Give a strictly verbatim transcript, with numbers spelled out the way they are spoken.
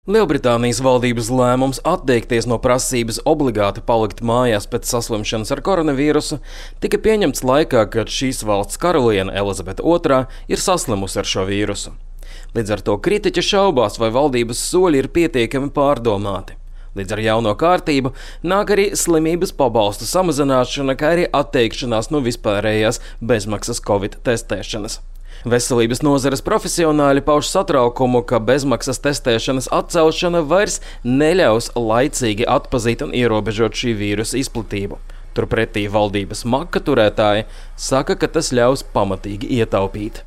Lielbritānijas valdības lēmums atteikties no prasības obligāti palikt mājās pēc saslimšanas ar koronavīrusu tika pieņemts laikā, kad šīs valsts karaliene Elizabete otrā ir saslimusi ar šo vīrusu. Līdz ar to kritiķi šaubās, vai valdības soļi ir pietiekami pārdomāti. Līdz ar jauno kārtību nāk arī slimības pabalstu samazināšana, kā arī atteikšanās no vispārējās bezmaksas Covid testēšanas. Veselības nozares profesionāļi pauž satraukumu, ka bezmaksas testēšanas atcelšana vairs neļaus laicīgi atpazīt un ierobežot šī vīrusa izplatību. Turpretī valdības maka turētāji saka, ka tas ļaus pamatīgi ietaupīt.